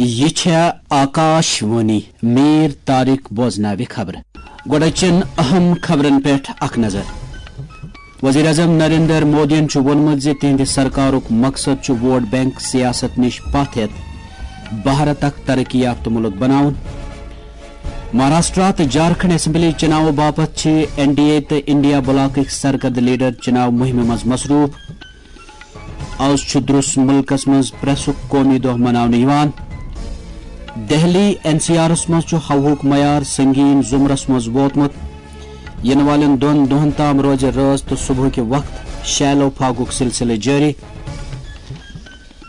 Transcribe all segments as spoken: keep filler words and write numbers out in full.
یہِ چھےٚ آکاش وانی۔ میر طارق بوزناوِ خبرٕ۔ گۄڈٕ چن اہم خبرن پٮ۪ٹھ اکھ نظر۔ وزیر اعظم نریندر مودیَن چھُ ووٚنمُت زِ تِہنٛدِ سرکارُک مقصد چھُ ووٹ بینک سیاست نِش پتھ ہٮ۪تھ بھارت اکھ ترقی یافتہٕ مُلک بناوُن۔ مہاراشٹرا تہٕ جھارکھنڈ اسمبلی چُناوٕ باپتھ چھِ این ڈی اے تہٕ انڈیا بلاکٕکۍ سرکردٕ لیڈر چُناو مُہِمہِ منٛز مصروٗف۔ از چھُ درُس مُلکس منٛز پریسُک قومی دۄہ مناونہٕ یِوان۔ دہلی این سی آرس منٛز چھُ ہوہُک معیار سنگین زمرس منٛز ووتمُت۔ یِنہٕ والٮ۪ن دۄن دۄہن تام روزِ رٲژ تہٕ صبحٕکہِ وقت شیلو پھاگُک سلسلہٕ جٲری۔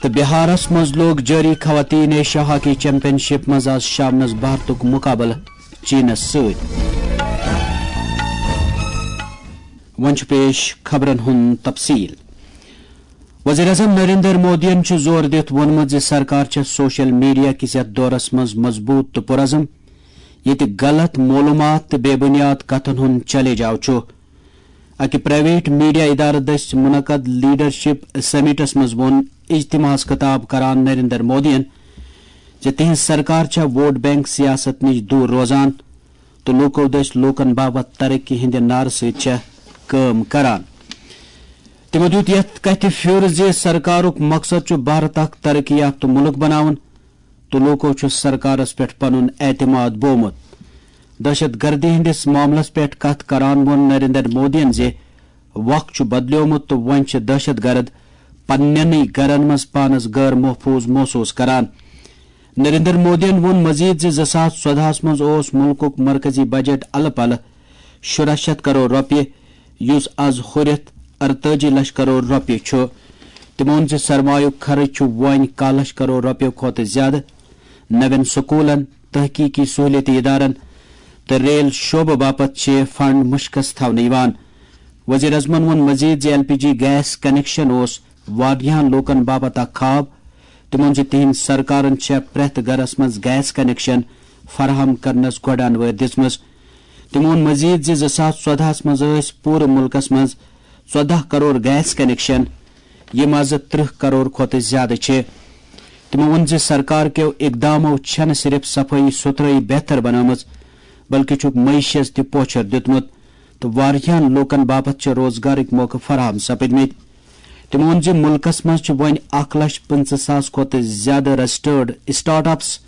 تہٕ بہارس منٛز لوٚگ جٲری خواتین ایشیا ہاکی چیمپین شپ منٛز از شامنس بھارتُک مقابلہٕ چینس سۭتۍ۔ وۄنۍ چھُ پیش خبرن ہُنٛد تفصیل۔ وزیر اعظم نریندر مودیَن چھُ زور دِتھ ووٚنمُت زِ سرکار چھےٚ سوشل میڈیا کِس یَتھ دورس منٛز مضبوٗط تہٕ پُرعزم، ییٚتہِ غلط معلوٗمات تہٕ بے بُنیاد کتھن ہُنٛد چیلنج آو چھُ۔ اَکہِ پرائیویٹ میڈیا ادارٕ دٔسۍ منعقد لیڈرشپ سمٹس منٛز ووٚن اجتماعس خطاب کران نریندر مودیَن زِ تِہنٛز سرکار چھےٚ ووٹ بینک سیاست نِش دوٗر روزان تہٕ لوٗکو دٔسۍ لوٗکن باپتھ ترقی ہٕنٛدِ نعرٕ سۭتۍ چھےٚ کٲم کران۔ تِمو دیُت یَتھ کتھِ پھیُر زِ سرکارُک مقصد چھُ بھارت اکھ ترقی یافتہٕ مُلک بناوُن تہٕ لوٗکو چھُ سرکارس پٮ۪ٹھ پنُن اعتماد بوومُت۔ دہشت گردی ہٕنٛدِس معاملس پٮ۪ٹھ کتھ کران ووٚن نریندر مودیَن زِ وق چھُ بدلیومُت تہٕ وۄنۍ چھِ دہشت گرد پننٮ۪نٕے گرن منٛز پانس غٲر محفوظ محسوس کران۔ نریندر مودیَن ووٚن مزید زِ زٕ ساس ژۄدہَس منٛز اوس مُلکُک مرکزی بجٹ الہٕ پلہٕ شُراہ شیٚتھ کرور رۄپیہِ، یُس از ہُرِتھ ارتٲجی لچھ کرور رۄپیہِ چھُ۔ تِمو ووٚن زِ سرمایُک خرٕچ چھُ وۄنۍ کاہ لچھ کرور رۄپیہِ کھۄتہٕ زیادٕ۔ نوٮ۪ن سکوٗلن، تحقیقی سہولیٲتی ادارن تہٕ ریل شعبہٕ باپتھ چھِ فنڈ مُشکس تھاونہٕ یِوان۔ وزیر اعظمن ووٚن مزید زِ L P G gas connection اوس واریاہن لوٗکن باپتھ اکھ خواب۔ تِمو ووٚن زِ تِہنٛز سرکارن چھےٚ پرٛٮ۪تھ گرس منٛز گیس کنکشن فراہم کرنس گۄڈٕ انوٲرۍ دِژمٕژ۔ تِمو ووٚن مزید زِ زٕ ساس ژۄدہَس منٛز ٲسۍ پوٗرٕ مُلکس منٛز ژۄداہ کرور گیس کنکشن، یِم از ترٕہ کرور کھۄتہٕ زیادٕ چھِ۔ تِمو ووٚن زِ سرکار کیو اقدامو چھنہٕ صرف صفٲیی ستھرٲیی بہتر بنٲومٕژ، بلکہِ چھُکھ معیشس تہِ پوچھر دیُتمُت تہٕ واریاہن لوٗکن باپتھ چھِ روزگارٕکۍ موقعہٕ فراہم سپٕدمٕتۍ۔ تِمو ووٚن زِ مُلکس منٛز چھِ وۄنۍ اکھ لچھ پٕنٛژٕہ ساس کھۄتہٕ زیادٕ رجسٹرڈ اسٹارٹ اپس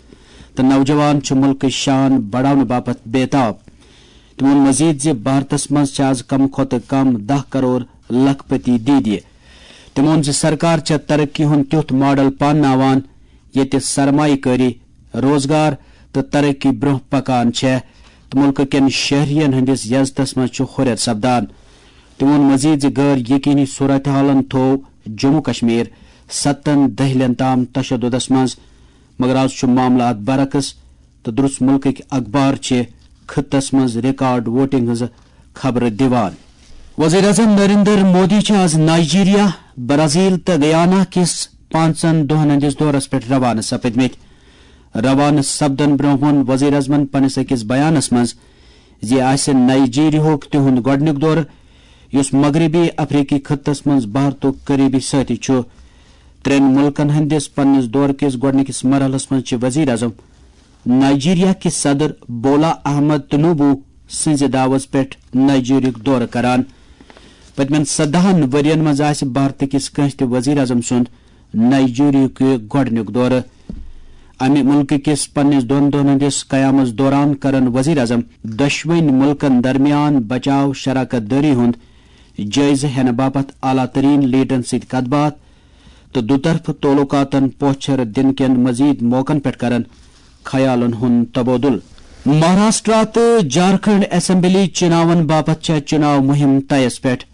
تہٕ نوجوان چھِ مُلکٕچ شان بڑاونہٕ باپتھ بے تاب۔ تِمو ووٚن مزید زِ بھارتس منٛز چھِ از کم کھۄتہٕ کم دَہ کرور لکھ پتی دیٖدی۔ تِمو ووٚن زِ سرکار چھےٚ ترقی ہُنٛد تیُتھ ماڈل پانناوان، ییٚتہِ سرمایہ کٲری، روزگار تہٕ ترقی برٛونٛہہ پکان چھےٚ تہٕ مُلکہٕ کٮ۪ن شہرین ہٕنٛدِس یزتس منٛز چھُ ہُرٮ۪ر سپدان۔ تِمو ووٚن مزید زِ غٲر یقینی صورتحالن تھوو جموں کشمیر ستن دٔہلین تام تشددس منٛز، مگر از چھُ معاملہٕ اتھ برعکس تہٕ درُس مُلکٕکۍ اخبار چھِ خطس منٛز ریکارڈ ووٹنگ ہٕنٛز خبرٕ دِوان۔ وزیر اعظم نریندر مودی چھِ از نائیجیریا، برازیل تہٕ گیانا کِس پانٛژن دۄہن ہٕنٛدِس دورس پٮ۪ٹھ روانہٕ سپٕدمٕتۍ۔ روانہٕ سپدن برٛونٛہہ ووٚن وزیر اعظمن پننِس أکِس بیانس منٛز زِ یہِ آسہِ نائیجیریاہُک تِہُنٛد گۄڈٕنیُک دورٕ، یُس مغربی افریقی خطس منٛز بھارتُک قریبی سٲتھی چھُ۔ ترٛٮ۪ن مُلکن ہٕنٛدِس پننِس دورٕ کِس گۄڈٕنِکِس مرحلس منٛز چھِ وزیر اعظم نائیجیریا کِس صدر بولا احمد تنوبو سٕنٛزِ دعوت پٮ۪ٹھ نائیجیریاہُک دورٕ کران۔ پٔتمٮ۪ن ژۄدہَن ؤرین منٛز آسہِ بھارتہٕ کِس کٲنٛسہِ تہِ وزیر اعظم سُنٛد نائیجیریاہُک یہِ گۄڈٕنیُک دورٕ۔ امہِ مُلکہٕ کِس پننِس دۄن دۄہن ہٕنٛدِس قیامس دوران کرن وزیر اعظم دۄشوٕنۍ مُلکن درمیان بچاو شراکت دٲری ہُنٛد جٲیزٕ ہٮ۪نہٕ باپتھ اعلیٰ ترین لیڈرن سۭتۍ کتھ باتھ تہٕ دُطرفہٕ تعلقاتن پوچھر دِنہٕ کٮ۪ن مزید موقعن پٮ۪ٹھ کرن خیالن ہُنٛد تبادلہٕ۔ مہاراشٹرا تہٕ جھارکھنڈ اسمبلی چُناون باپتھ چھےٚ چُناو مُہِم طیس پٮ۪ٹھ۔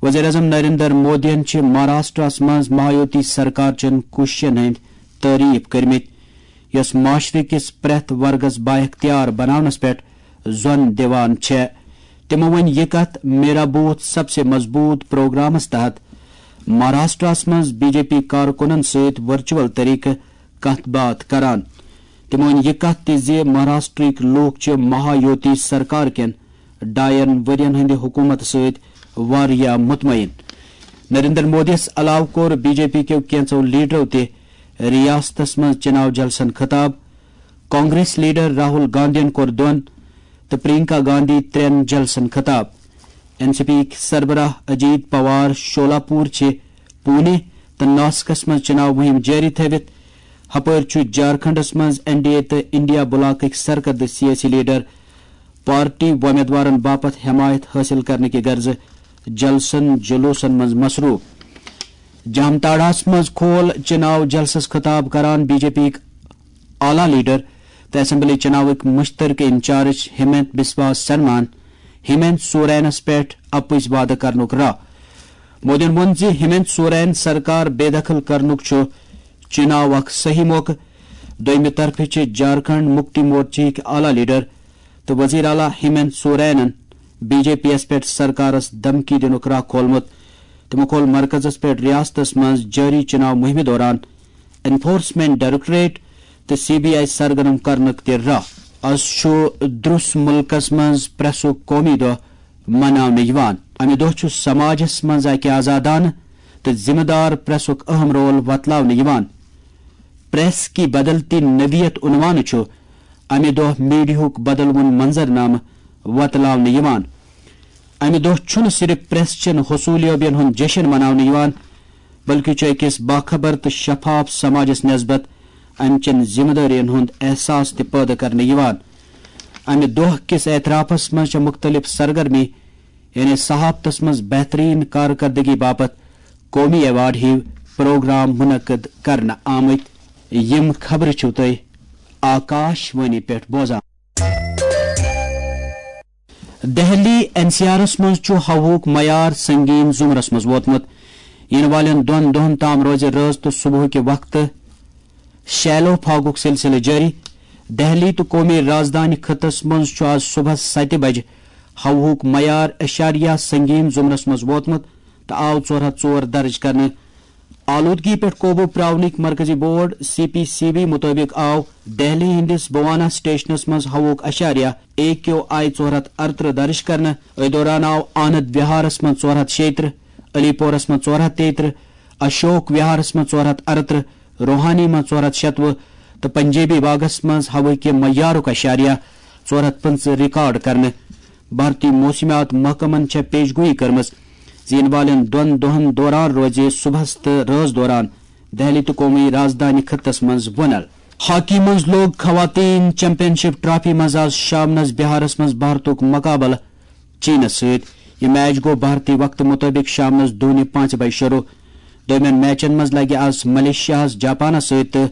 وزیر اعظم نریندر مودیَن چھِ مہاراشٹرس منٛز مہایوتی سرکار چٮ۪ن کوٗششن ہٕنٛدۍ تعریف کٔرمٕتۍ، یۄس معاشرٕ کِس پرٛٮ۪تھ ورگس بااختیار بناونس پٮ۪ٹھ زۄن دِوان چھےٚ۔ تِمو ووٚن یہِ کتھ میرا بوتھ سب سے مضبوط پروگرامس تحت مہاراشٹرس منٛز بی جے پی کارکُنن سۭتۍ ورچوئل طریقہٕ کتھ باتھ کران۔ تِمو ووٚن یہِ کتھ تہِ زِ مہاراشٹرٕکۍ لوٗکھ چھِ مہایوتی سرکار کٮ۪ن ڈاین ؤرین ہٕنٛدِ حکوٗمتہٕ سۭتۍ واریاہ مطمئن۔ نریندر مودیَس علاوٕ کوٚر بی جے پی کیو کینٛژو لیڈرو تہِ ریاستس منٛز چناو جلسن خطاب۔ کانگریس لیڈر راہل گاندھین کوٚر دۄن تہٕ پرینکا گاندھی ترٛٮ۪ن جلسن خطاب۔ این سی پی یِکۍ سربراہ اجیت پوار شولاپور چھِ پونے تہٕ ناسکس منٛز چناو مہم جٲری تھٲوِتھ۔ ہپٲرۍ چھُ جھارکھنڈس منٛز این ڈی اے تہٕ انڈیا بلاکٕکۍ سرکردٕ سیٲسی لیڈر پارٹی وۄمیدوارن باپتھ حمایت حٲصِل کرنہٕ کہِ غرضہٕ جلسن جلوسن منٛز مصروف۔ جامتاڑاہس منٛز کھول چناو جلسس خطاب کران بی جے پی یِکۍ اعلیٰ لیڈر تہٕ اسمبلی چناوٕکۍ مشترکہٕ انچارج ہیمنت بسوا سرماہن ہیمنت سورینس پٮ۪ٹھ اپُز وعدٕ کرنُک راہ۔ مودیَن ووٚن زِ ہیمنت سورین سرکار بے دخل کرنُک چھُ چناو اکھ صحیح موقعہٕ۔ دوٚیمہِ طرفہٕ چھِ جھارکھنڈ مکتی مورچہٕکۍ اعلیٰ لیڈر تہٕ وزیر اعلیٰ ہیمنت سورینن بی جے پی یَس پٮ۪ٹھ سرکارس دھمکی دِنُک راہ کھولمُت۔ تِمو کھول مرکزس پٮ۪ٹھ ریاستس منٛز جٲری چناو مہمہِ دوران انفورسمنٹ ڈائریکٹوریٹ تہٕ سی بی آئی سرگرم کرنُک تہِ راہ۔ از چھُ درٛس مُلکس منٛز پریسُک قومی دۄہ مناونہٕ یِوان۔ امہِ دۄہ چھُ سماجس منٛز اکہِ آزادانہٕ تہٕ ذمہٕ دار پریسُک اہم رول وۄتلاونہٕ یِوان۔ پریس کی بدلتی نوعیت عنوانہٕ چھُ امہِ دۄہ میڈیاہُک بدلوُن منظرنامہٕ وۄتلاونہٕ یِوان۔ امہِ دۄہ چھُنہٕ صرف پریس چٮ۪ن حصولیابین ہُنٛد جشن مناونہٕ یِوان، بلکہِ چھُ أکِس باخبر تہٕ شفاف سماجس نسبت امہِ چٮ۪ن ذمہٕ دٲرین ہُنٛد احساس تہِ پٲدٕ کرنہٕ یِوان۔ امہِ دۄہ کِس اعترافس منٛز چھےٚ مُختٔلِف سرگرمی، یعنی صحافتس منٛز بہترین کارکردگی باپتھ قومی ایوارڈ ہِوۍ پروگرام منعقد کرنہٕ آمٕتۍ۔ یِم خبرٕ چھِو تُہۍ آکاش وانی پٮ۪ٹھ بوزان۔ دہلی این سی آرس منٛز چھُ ہوہُک معیار سنگین زمرس منٛز ووتمُت۔ یِنہٕ والٮ۪ن دۄن دۄہن تام روزِ رٲژ تہٕ صبحٕکہِ وقتہٕ شیلو فاگُک سلسلہٕ جٲری۔ دہلی تہٕ قومی رازدانہِ خطس منٛز چھُ آز صبحس ستہِ بجہِ ہوہُک معیار اعشاریہ سنگین زمرس منٛز ووتمُت تہٕ آو ژور ہتھ ژور درج کرنہٕ۔ آلودگی پٮ۪ٹھ قوبو پراونٕکۍ مرکزی board, C P C B مُطٲبِق آو دہلی ہٕنٛدِس بوانا سٹیشنس منٛز ہوہُک اعشاریہ اے کیو آئی ژور ہتھ ارترٕہ درج کرنہٕ۔ أتھۍ دوران آو آنند وہارس منٛز ژور ہتھ شیٚیہِ ترٕہ، علی پورس منٛز ژور ہتھ تیٚیہِ ترٕہ، اشوک وہارس منٛز ژور ہتھ ارترٕہ، روہانی منٛز ژور ہتھ شتوُہ تہٕ پنجابی باغس منٛز ہوہٕکہِ معیارُک اعشاریہ ژور ہتھ پٕنٛژٕہ ریکارڈ کرنہٕ۔ بھارتی موسمیات محکمن چھےٚ پیش گویی کٔرمٕژ زِ یِنہٕ والٮ۪ن دۄن دۄہن دوران روزِ صبحس تہٕ رٲژ دوران دہلی تہٕ قومی رازدانہِ خطس منٛز وُنل۔ ہاکی منٛز لوٚگ خواتین چیمپین شپ ٹرافی منٛز آز شامنس بہارس منٛز بھارتُک مقابلہٕ چینس سۭتۍ۔ یہِ میچ گوٚو بھارتی وقتہٕ مُطٲبِق شامنس دۄہنہِ پانٛژِ بجہِ شروٗع۔ دوٚیمٮ۪ن میچن منٛز لگہِ آز ملیشیاہس جاپانس سۭتۍ تہٕ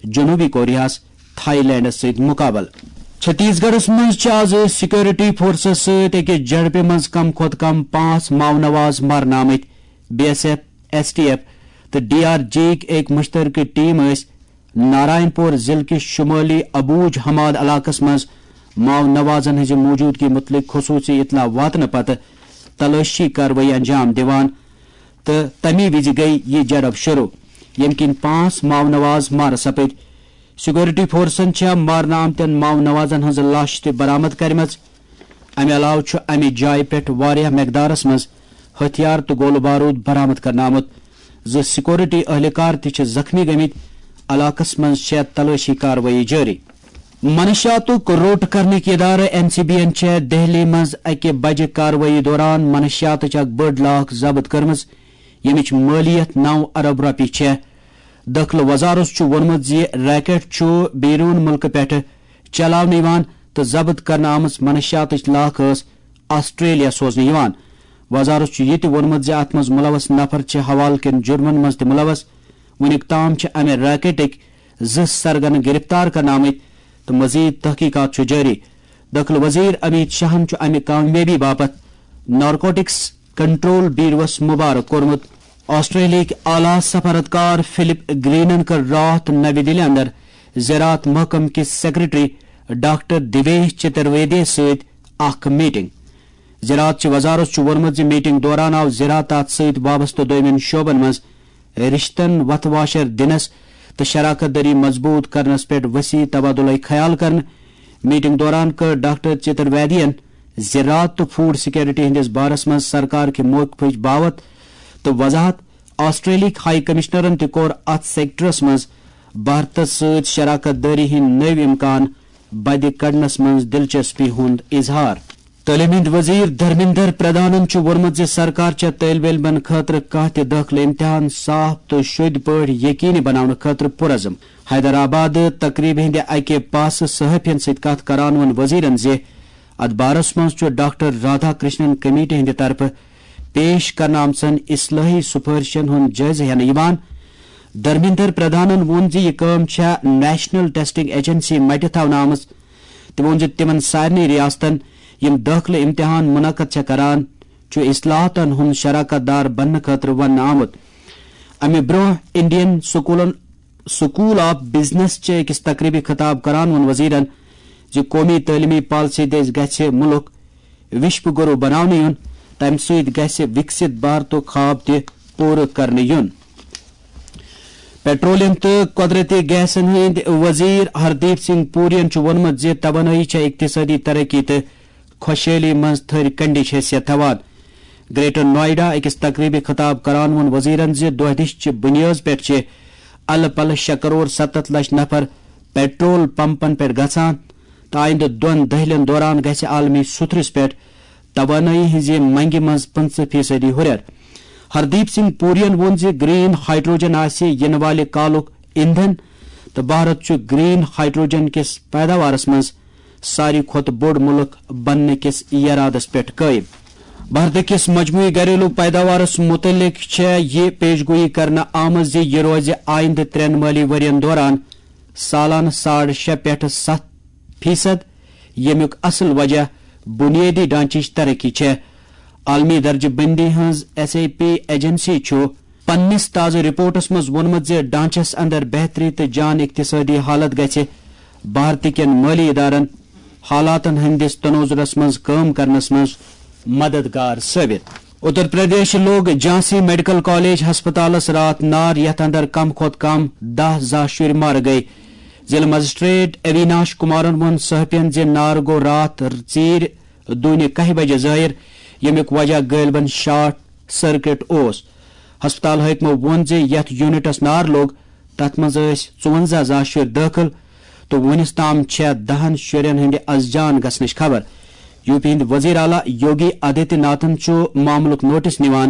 جنوبی کوریاہس تھائی لینڈس سۭتۍ مقابلہٕ۔ چھتیس گڑھس منٛز چھِ آز سیکورٹی فورسز سۭتۍ أکِس جھڑپہِ منٛز کم کھۄتہٕ کم پانٛژھ ماؤنواز مارنہٕ آمٕتۍ۔ B S F, S T F تہٕ ڈی آر جی یِکۍ أکۍ مشترکہٕ ٹیم ٲسۍ نارائن پور ضلعہٕ کِس شمٲلی ابوج حماد علاقس منٛز ماؤنوازن ہٕنٛزِ موجودگی مُتعلق خصوٗصی اطلاع واتنہٕ پتہٕ تلٲشی کاروٲیی انجام دِوان تہٕ تَمی وِزِ گٔیہِ یہِ جھڑپ شروٗع، ییٚمہِ کِنۍ پانٛژھ ماؤنواز مارٕ سپٕدۍ۔ سیکورٹی فورسن چھےٚ مارنہٕ آمتٮ۪ن ماؤنوازن ہٕنٛز لاشہٕ تہِ برآمد کرِمژٕ۔ امہِ علاوٕ چھُ امہِ جایہِ پٮ۪ٹھ واریاہ مقدارس منٛز ہتھیار تہٕ گولہٕ بارود برآمد کرنہٕ آمُت۔ زٕ سیکورٹی اہلکار تہِ چھِ زخمی گٔمٕتۍ۔ علاقس منٛز چھےٚ تلٲشی کاروٲیی جٲری۔ منشیاتُک روٚٹ کرنٕکۍ ادارٕ این سی بی یَن چھےٚ دہلی منٛز اکہِ بجہِ کاروٲیی دوران منشیاتٕچ اکھ بٔڑ لاکھ ضبط کٔرمٕژ، ییٚمِچ مٲلیت نو ارب رۄپیہِ چھےٚ۔ دٲخلہٕ وزارت چھُ ووٚنمُت زِ ریکٹ چھُ بیرون مُلکہٕ پٮ۪ٹھٕ چلاونہٕ یِوان تہٕ ضبط کرنہٕ آمٕژ منشیاتٕچ لاکھ ٲس آسٹریلیا سوزنہٕ یِوان۔ وزارت چھُ یہِ تہِ ووٚنمُت زِ اتھ منٛز ملوث نفر چھِ حوالہٕ کٮ۪ن جرمن منٛز تہِ ملوث۔ وُنیُک تام چھِ امہِ ریکٹٕکۍ زٕ سرگنہٕ گرفتار کرنہٕ آمٕتۍ تہٕ مزید تحقیقات چھُ جٲری۔ دٲخلہٕ وزیر امیت شاہن چھُ امہِ کامیٲبی باپتھ نارکوٹکس کنٹرول بیوروس مبارک کوٚرمُت۔ آسٹریلیاہٕکۍ اعلیٰ سفارتکار فلپ گرینن کٔر راتھ نوِ دِلہِ اندر زراعت محکمہٕ کِس سیکرٹری ڈاکٹر دیویش چترویدی سۭتۍ اکھ میٹنگ۔ زراعت چہِ وزارت چھُ ووٚنمُت زِ میٹنگ دوران آو زراعتس سۭتۍ وابستہٕ دویمٮ۪ن شعبن منٛز رشتن وتھ واشر دِنس تہٕ شراکت دٲری مضبوط کرنس پٮ۪ٹھ وسیع تبادلہ خیال کرنہٕ۔ میٹنگ دوران کٔر ڈاکٹر چترویدین زراعت تہٕ فوڈ سیکورٹی ہٕنٛدِس بارس منٛز سرکار کہِ موقفٕچ باوتھ تہٕ وضاحت۔ آسٹریلیاہٕکۍ ہائی کمشنرن تہِ کوٚر اتھ سیکٹرس منٛز بھارتس سۭتۍ شراکت دٲری ہٕنٛدۍ نٔوۍ امکان بدِ کڑنس منٛز دلچسپی ہُنٛد اظہار۔ تعلیٖم ہٕنٛدۍ وزیر دھرمیندر پردھانن چھُ ووٚنمُت زِ سرکار چھےٚ طٲلبہِ علمن خٲطرٕ کانٛہہ تہِ دٲخلہٕ امتحان صاف تہٕ شوٚدۍ پٲٹھۍ یقینی بناونہٕ خٲطرٕ پُرعزم۔ حیدرآباد تقریبہِ ہٕنٛدِ اکہِ پاسہٕ صحافین سۭتۍ کتھ کران ووٚن وزیرن زِ اتھ بارس منٛز چھُ ڈاکٹر رادھا کرشنن کمیٹی ہٕنٛدِ طرفہٕ پیش کرنہٕ آمژن اصلاحی سفارشن ہُنٛد جٲیزٕ ہٮ۪نہٕ یِوان۔ دھرمیندر پردھانن ووٚن زِ یہِ کٲم چھےٚ نیشنل ٹیسٹنگ ایجنسی مٹہِ تھاونہٕ آمٕژ۔ تٔمۍ ووٚن زِ تِمن سارنٕے ریاستن، یِم دٲخلہٕ امتحان منعقد چھےٚ کران، چھُ اصلاحاتن ہُنٛد شراکت دار بننہٕ خٲطرٕ وننہٕ آمُت۔ امہِ برٛونٛہہ انڈین سکولن، سکول آف بزنس چہِ أکِس تقریبہِ خطاب کران ووٚن وزیرن زِ قومی تعلیمی پالیسی دٔسۍ گژھِ مُلک وشو گرو بناونہٕ یُن، تمہِ سۭتۍ گژھِ وکست بھارتُک خواب تہِ پوٗرٕ کرنہٕ یُن۔ پیٹرولیم تہٕ قۄدرٔتی گیسن ہٕنٛدۍ وزیر ہردیپ سنگھ پورین چھُ ووٚنمُت زِ توانٲیی چھےٚ اقتصٲدی ترقی تہٕ خۄشحٲلی منٛز تھٔرۍ کنڈِچ حیثیت تھاوان۔ گریٹر نوئیڈا أکِس تقریبہِ خطاب کران ووٚن وزیرن زِ دۄہ دِش چہِ بُنیٲدِ پٮ۪ٹھ چھِ الہٕ پلہٕ شےٚ کرور ستتھ لچھ نفر پیٹرول پمپن پٮ۪ٹھ گژھان تہٕ آیندٕ دۄن دٔہلٮ۪ن دوران گژھِ عالمی سطحس پٮ۪ٹھ توانٲیی ہٕنٛزِ منگہِ منٛز پٕنٛژٕہ فیصدی ہُرٮ۪ر۔ ہردیپ سنگھ پورین ووٚن زِ گرین ہائیڈروجن آسہِ یِنہٕ والہِ کالُک ایندھن تہٕ بھارت چھُ گرین ہائیڈروجن کِس پیداوارس منٛز ساروی کھۄتہٕ بوٚڑ مُلک بننہٕ کِس یرادس پٮ۪ٹھ قٲیِم۔ بھارت کِس مجموعی گھریلو پیداوارس مُتعلق چھےٚ یہِ پیش گویی کرنہٕ آمٕژ زِ یہِ روزِ آیندٕ ترٛٮ۪ن مٲلی ؤرین دوران سالانہٕ ساڑ شےٚ پٮ۪ٹھ ستھ فیصد، ییٚمیُک اصل وجہ بنیٲدی ڈھانچٕچ ترقی چھےٚ۔ عالمی درجہٕ بندی ہٕنٛز ایس ای پی ایجنسی چھُ پننِس تازٕ رپورٹس منٛز ووٚنمُت زِ ڈھانچس اندر بہتری تہٕ جان اقتصٲدی حالت گژھِ بھارت کٮ۪ن مٲلی ادارن حالاتن ہٕنٛدِس تنوظرس منٛز کٲم کرنس منٛز مددگار ثٲبت۔ اتر پردیش لوٚگ جھانسی میڈیکل کالج ہسپتالس راتھ نار، یتھ اندر کم کھۄتہٕ کم دَہ زا شُرۍ مارٕ گٔیہِ۔ ضلع مجسٹریٹ اویناش کمارن ووٚن صحافین زِ نار گوٚو راتھ ژیٖرۍ دُہنہِ کاہہِ بجہِ ظٲہِر، ییٚمیُک وجہ غٲلبن شارٹ سرکٹ اوس۔ ہسپتال حٲکمو ووٚن زِ یتھ یونٹس نار لوٚگ، تتھ منٛز ٲسۍ ژُوَنزاہ زا شُرۍ دٲخل تہٕ وُنِس تام چھےٚ دَہن شُرٮ۪ن ہٕنٛدِ از جان گژھنٕچ خبر۔ یو پی ہٕنٛدۍ وزیر اعلیٰ یوگی آدتیہ ناتھن چھُ معاملُک نوٹس نِوان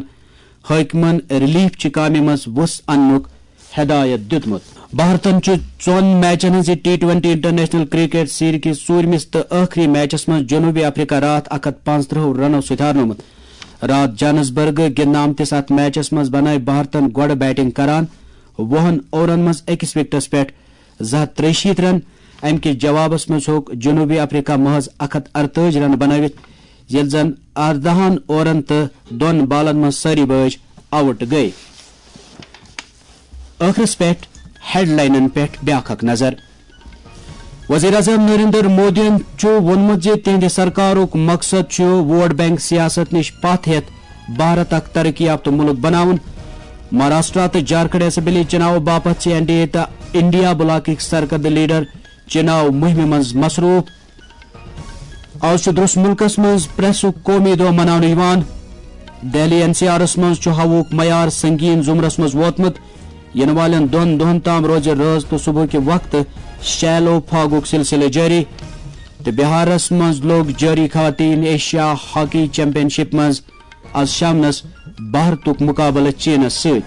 حٲکمن ریلیف چہِ کامہِ منٛز وُژھ اننُک ہدایت دِیُتمُت۔ بھارتن چھُ ژۄن میچن ہٕنٛزِ T twenty international cricket series کِس ژوٗرمِس تہٕ ٲخری میچس منٛز جنوبی افریقہ راتھ اکھ ہتھ پانٛژترٕٛہ رنو سۭتۍ ہارنومُت۔ راتھ جانسبرگ گِنٛدنہٕ آمتِس اتھ میچس منٛز بنٲوۍ بھارتن گۄڈٕ بیٹنگ کران وُہن اورن منٛز أکِس وِکٹس پٮ۪ٹھ زٕ ہتھ ترٛیہِ شیٖتھ رن۔ امہِ کِس جوابس منٛز ہیوٚک جنوبی افریقہ محض اکھ ہتھ ارتٲجی رن بنٲوِتھ، ییٚلہِ زن ارداہن اورن تہٕ دۄن بالن منٛز سٲری بٲج آؤٹ گٔیہِ۔ ٲخرس پٮ۪ٹھ ہیڈلاینن پٮ۪ٹھ بیاکھ اکھ نظر۔ وزیر اعظم نریندر مودیَن چھُ ووٚنمُت زِ تِہنٛدِ سرکارُک مقصد چھُ ووٹ بینک سیاست نِش پتھ ہٮ۪تھ بھارت اکھ ترقی یافتہٕ مُلک بناوُن۔ مہاراشٹرا تہٕ جھارکھنڈ اسمبلی چُناو باپتھ چھِ این ڈی اے تہٕ انڈیا بلاکٕکۍ سرکردٕ لیڈر چُناو مُہِمہِ منٛز مصروٗف۔ آز چھُ درٛوس مُلکَس منٛز پریسُک قومی دۄہ مناونہٕ یِوان۔ دہلی این سی آرَس منٛز چھُ ہوہُک معیار سنگین زمرس منٛز ووتمُت۔ یِنہٕ والٮ۪ن دۄن دۄہَن تام روزِ رٲژ تہٕ صبحٕکہِ وقتہٕ شیلو فاگُک سلسلہٕ جٲری۔ تہٕ بہارَس منٛز لوٚگ جٲری خواتین ایشیا ہاکی چیمپین شپ منٛز آز شامنَس بھارتُک مُقابلہٕ چینَس سۭتۍ۔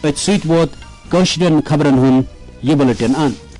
أتھۍ سۭتۍ ووت کٲشرٮ۪ن خبرَن ہُنٛد یہِ بُلٹن اند۔